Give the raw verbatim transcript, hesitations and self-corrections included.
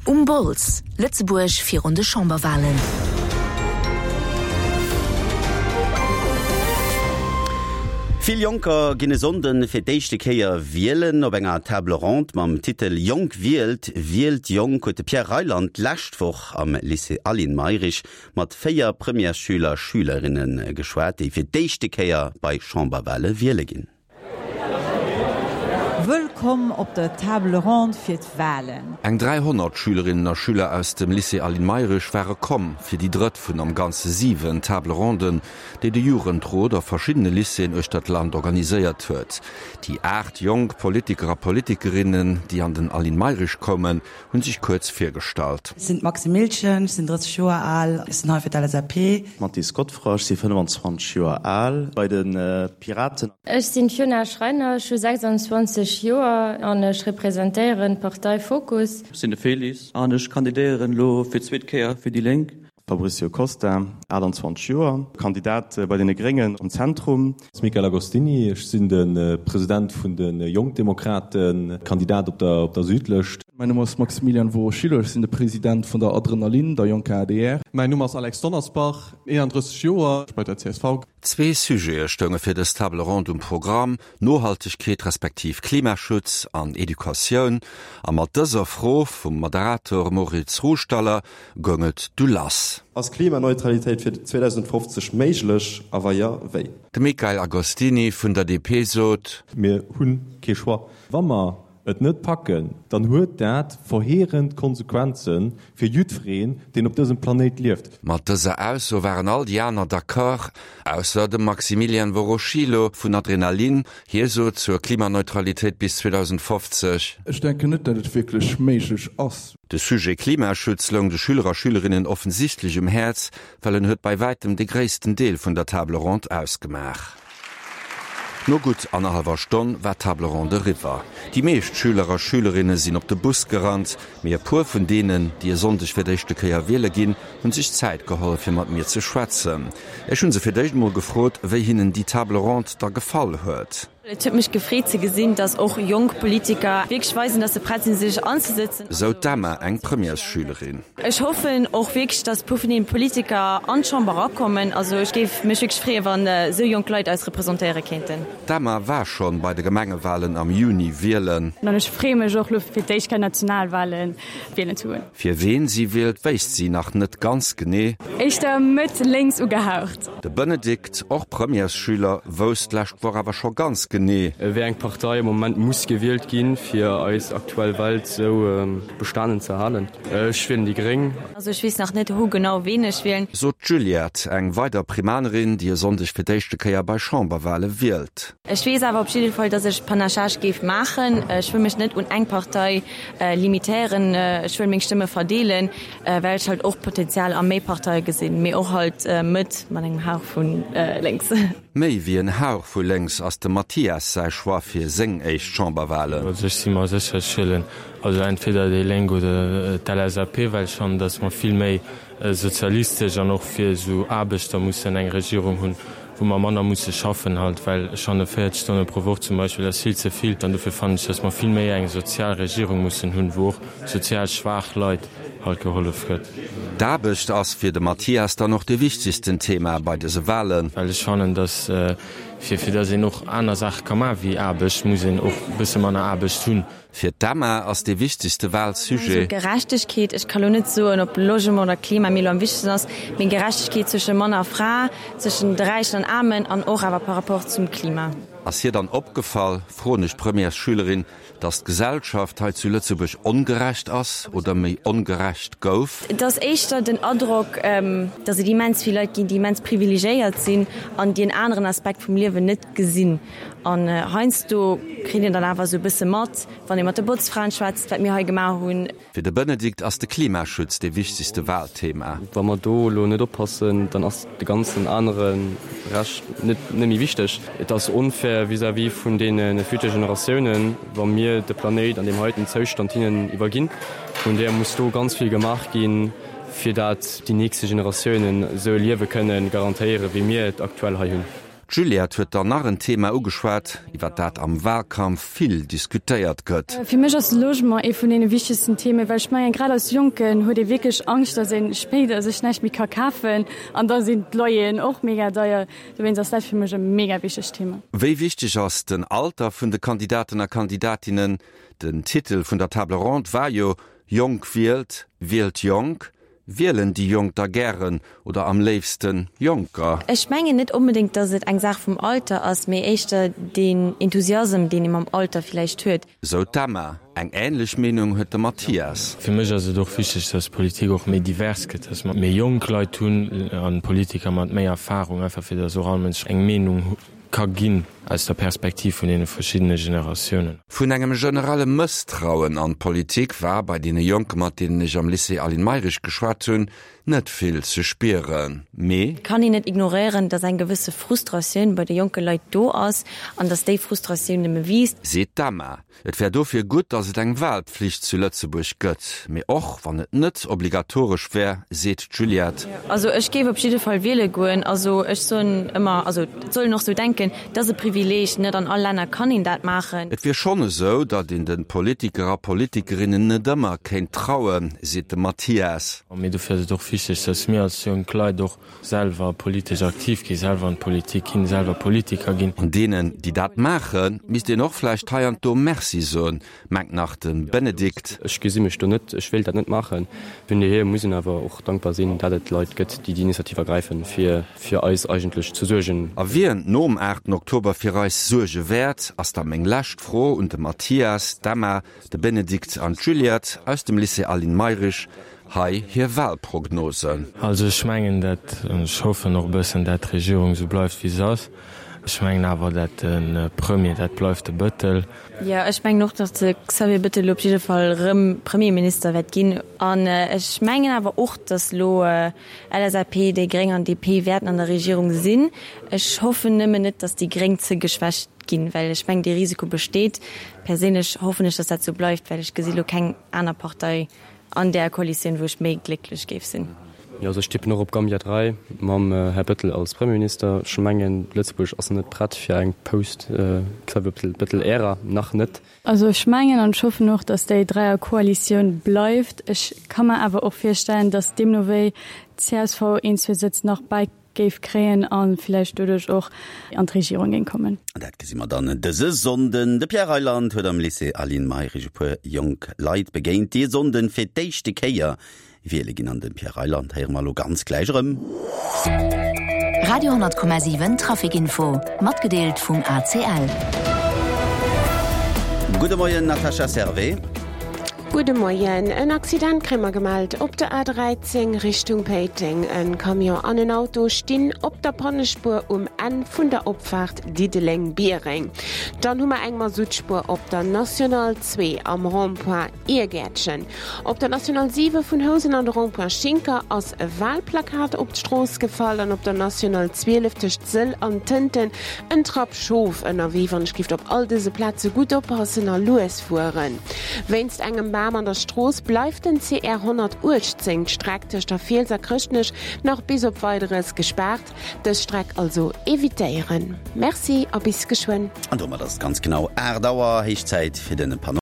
Um Bols, Lëtzebuerg virun de Chamberwalen. Vill Jonker ginn e Sonnden fir d'éischte Kéier wielen. Op enger Table ronde mam Titel Jonk wielt, wielt jonk huet de Pierre Reyland d'lescht Woch am Lycée Aline Mayrisch mat véier Premièresschüler, Schülerinne geschwat, déi fir d'éischte Kéier bei Chamberwale wiele ginn. Wëllkomm op der Table ronde fir d'Walen. Eng dräihonnert Schülerinnen a Schüler aus dem Lycée Aline Mayrisch ware komm fir déi drëtt vun am Ganze siwen Table ronden, déi de Jugendrot a verschiddene Lycéeën uechter d'Land organiséiert huet. Déi aacht jonk Politiker a Politikerinnen, déi an den Aline Mayrisch koumen, hu sech kuerz virgestallt. Ech sinn d'Maxi Milchen, ech sinn drësseg Joer al, ech sinn hei fir d'L S A P. Mathis Godefroid, ech si fënnefenzwanzeg Joer al, bei de Piraten. Ech sinn d'Fiona Schreiner, ech hu sechsanzwanzeg Joer an ech representéieren d'Partei Fokus. Ech sinn de Félix an ech kandidéieren elo fir d'zweet Kéier fir déi Lénk. Fabricio Costa, aachtanzwanzeg Joer, Kandidat bei deene Gréngen am Zentrum. Michael Agostini, ech sinn de President vun de Jonk Demokraten, Kandidat op der op der Südlëscht. Mäin Numm ass Maximilian Voroschilo, ech sinn de President vun der Adrenalin, der jonker A D R. Mäin Numm ass Alex Donnersbach, eenandrësseg Joer, bei der C S V. Zwee Sujete stounge fir dës Table ronde um Programm, Nohaltegkeet respektiv Klimaschutz an Educatioun. A mat dëser Fro vum Moderator Moritz Ruhstaller goung et du lass. Ass Klimaneutralitéit fir zweedausendfofzeg méiglech a wa jo, wéi? De Michael Agostini vun der D P sot: Mir hunn kee Choix. Wa mer et net packen, dann huet dat verheerend Konsequenze fir jiddwereen, deen op dësem Planéit lieft. Mat dëser Ausso waren all déi aner d'accord, ausser dem Maximilian Voroschilo vun Adrenalin. Hie sot zur Klimaneutralitéit bis zweedausendfofzeg: Ech denken net, datt et wierklech méiglech ass. De Sujet Klimaschutz loung de Schüler a Schülerinnen offensichtlech um Häerz, well en huet bei wäitem de gréissten Deel vun der Table ronde ausgemaach. No gutt annerhallwer Stonn war d'Table ronde eriwwer. Déi meescht Schüler a Schülerinne sinn op de Bus gerannt, mee e puer vun deenen, déi e Sonndeg fir d'éischte Kéier wiele ginn, hunn sech Zäit geholl fir mat mir ze schwätzen. Ech hunn se fir d'éischt mol gefrot, wéi hinnen déi Table ronde da gefall huet. Et huet mech gefreet ze gesinn, dass och jonk Politiker wierklech weisen, dass se prett sinn sech anzesetzen. Sou d'Emma, eng Premièresschülerin. Ech hoffen och wierklech, dass puer vun den Politiker an d'Chamber erakommen. Also ech géif mech wierklech freeën, wann esou jonk Leit eis representéiere kéinten. D'Emma war schonn bei de Gemengewalen am Juni wielen. An ech freeë mech och lo fir d'éischt Kéier Nationalwalen wielen ze goen. Fir ween si wielt, wéisst si nach net ganz genee. Éischter Mëtt lénks ugehaucht. De Benedikt, och Premièresschüler, wousst d'lescht Woch awer scho ganz genee. Wéi eng Partei am Moment muss gewielt ginn, fir eis aktuell Welt sou bestanen ze halen. Ech wielen déi Gréng. Also ech weess nach net hu genau ween ech wielen. Sot d'Juliette, eng weider Primanerin, déi e Sonndeg fir d'éischte Kéier bei Chamberwale wielt. Ech weess awer op jidde Fall, dass ech Panachage géif maachen. Ech wëll mech net un eng Partei limitéieren. Ech wëll meng Stëmme verdeelen, well ech halt och Potenzial a méi Parteie gesinn, mee och halt Mëtt mat engem Hauch vu lénks. Méi wéi en Hauch vu lénks ass dem Mathias säi Choix fir seng éischt Chamberwalen. Also ech si mer sécher, ech wielen also entweder déi Lénk oder d'L S A P, well ech fannen, dass mer vill méi sozialistesch an och fir esou Aarbechter mussen eng Regierung hunn, wou mer manner musse schaffen halt, well ech fanne véierzeg Stonne pro Woch zum Beispill ass vill ze vill. An dofir fannen ech, dass mer vill méi eng sozial Regierung mussen hunn, wou och sozial schwaach Leit halt gehollef gëtt. D'Aarbecht ass fir de Mathias dann och de wichtegsten Thema bei dëse Walen. Well ech fannen, dass fir fir dass een och aner Saache ka maache wéi Aarbecht, muss een och e bësse manner Aarbecht hunn. Fir d'Emma ass de wichtegste Walsujet: Gerechtegkeet. Ech ka lo net soen, ob Logement oder Klima mir lo am wichtegsten ass, mee Gerechtegkeet zwësche Mann a Fra, zwëschen de Räichen an Aarmen an och awer par rapport zum Klima. Ass hir dann opgefall, froen ech d'Premièresschülerin, dass d'Gesellschaft hei zu Lëtzebuerg ongerecht ass oder méi ongerecht gouf? Et ass éischter den Androck, dass et immens vill Leit ginn, déi immens privilegéiert sinn an déi en aneren Aspekt vum Liewen net gesinn. An heiansdo kritt een dann awer esou e bësse mat, wann ee mat de Botzfraen schwätzt, wat mir hei gemaach hunn. Fir de Benedikt ass de Klimaschutz de wichtegste Walthema. Wa mer do elo net oppassen, dann ass de ganzen anere Rescht net net méi wichteg. Et ass onfair vis-à-vis vun deene future Generatiounen, wa mir de Planéit an deem heiten Zoustand hinnen iwwerginn. Vun där muss do ganz vill gemaach ginn, fir dat déi nächste Generatiounen esou e Liewe kënne garantéieren, wéi mir et aktuell hei hunn. D'Juliette huet dann nach en Thema ugeschwat, iwwer dat am Wahlkampf vill diskutéiert gëtt. Fir mech ass de Logement ee vun deene wichtegsten Themen, well ech mengen, grad als Jonken huet ee wierklech Angscht, datt ee spéider sech näischt méi ka kafen an da sinn d'Loyeren och mega deier. Dowéinst ass dat fir mech e mega wichtegt Thema. Wéi wichteg ass den Alter vun de Kandidaten a Kandidatinnen? Den Titel vun der Table ronde war jo Jonk wielt, wielt jonk. Wielen déi Jonk da gären oder am léifsten Jonker? Ech mengen net onbedéngt, datt et eng Saach vum Alter ass, mee éischter deen Enthusiasm, deen ee mam Alter villäicht huet. Sou d'Emma. Eng änlech Meenung huet de Mathias. Fir mech ass et och wichteg, datt d'Politik och méi divers gëtt, datt mer méi jonk Leit hunn a Politiker mat méi Erfarung, einfach fir datt och all Mënsch eng Meenung ka ginn aus der Perspektiv vun deene verschiddene Generatiounen. Vun engem generelle Mësstrauen an d'Politik war bei deene Jonke mat deenen ech am Lycée Aline Mayrisch geschwat hunn, net vill ze spieren. Mee. Et kann een net ignoréieren, datt eng gewësse Frustratioun bei de jonke Leit do ass an datt déi Frustratioun nëmme wiisst. Seet d'Emma. Et wär dofir gutt, datt et eng Wahlpflicht zu Lëtzebuerg gëtt. Mee och wann et net obligatoresch wär, seet d'Juliette. Also ech géif op jidde Fall wiele goen. Also ech soen ëmmer, also et soll een och sou denken, et ass e Privileeg, net an all Länner kann een dat maachen. Et wier schonn esou, datt een de Politiker a Politikerinnen net ëmmer kéint trauen, seet de Mathias. Mee dofir ass et och wichteg, datt mir als jonk Leit och selwer politesch aktiv ginn, selwer an d'Politik ginn, selwer Politiker ginn. An deenen, déi dat maachen, misst een och vläicht hei an do Merci soen, mengt nach de Benedikt. Ech gesi mech do net, ech wéilt dat net maachen. Vun dohier muss een awer och dankbar sinn, dat et Leit gëtt, déi déi Initiativ ergräifen, fir fir eis eigentlech ze suergen. A wien nom aachten Oktober fir eis suerge wäert, ass da meng lescht Fro un de Mathias, d'Emma, de Benedikt an d'Juliette aus dem Lycée Aline Mayrisch. Hei hir Wahlprognosen. Also ech mengen dat, an ech hoffen och e bëssen, dat d'Regierung esou bleift wéi se ass. Ech mengen awer, dat de Premier, dat bleift de Bëttel. Jo, ech mengen och, datt de Xavier Bëttel elo op jidde Fall erëm Premierminister wäert ginn. An ech mengen awer och, datt elo LSAP, déi Gréng an D P wäerten an der Regierung sinn. Ech hoffen nëmmen net, datt déi Gréng ze geschwächt ginn, well ech mengen, dee Risiko besteet. Perséinlech hoffen ech, datt dat esou bleift, well ech gesi lo keng aner Partei an där Koalitioun, wou ech méi glécklech géif sinn. Jo, also ech tippen och op Gambia dräi mam Här Bëttel als Premierminister. Ech mengen, Lëtzebuerg ass net prett fir eng Post-Xavier Bëttel-Ära, nach net. Also ech mengen an ech hoffen och, datt déi Dräierkoalitioun bleift. Ech ka mer awer och virstellen, datt deemno wéi csv een, zwee Sëtz nach bäi géif kréien a villäicht doduerch och an d'Regierung géing kommen. Dat gesi mer dann dëse Sonnden. De Pierre Reyland huet am Lycée Aline Mayrisch e puer jonk Leit begéint, déi e Sonnden fir d'éischte Kéier wiele ginn. An de Pierre Reyland héiere mer elo ganz gläich erëm. Radio honnert Komma siwen Traficinfo, matgedeelt vum A C L. Gudde Moien Natascha Servais. Gudde Moien. En Accident kréie mer gemellt op der A dräizéng Richtung Péiteng. En Camion an en Auto stinn op der Pannespuer um Enn vun der Opfaart Diddeleng-Biereng. Dann hu mer eng Masuttspuer op der National zwee am Rond-point Irgäertchen. Op der National siwe vun Housen an de Rond-point Schinker ass e Walplakat op d'Strooss gefall an op der National zwielef tëscht Sëll an Tënten en Trapp Schof ënnerwee. Wann ech gift op all dëse Plaze gutt oppassen a lues fueren. Wéinst engem Bam an der Strooss bleift den C R honnertuechtzéng d'Streck tëscht der Fiels a Chrëschtnech nach bis op Weideres gespaart. Dës Streck also evitéieren. Merci a bis geschwënn. An domat ass et ganz genau aacht Auer, héich Zäit fir den Panorama.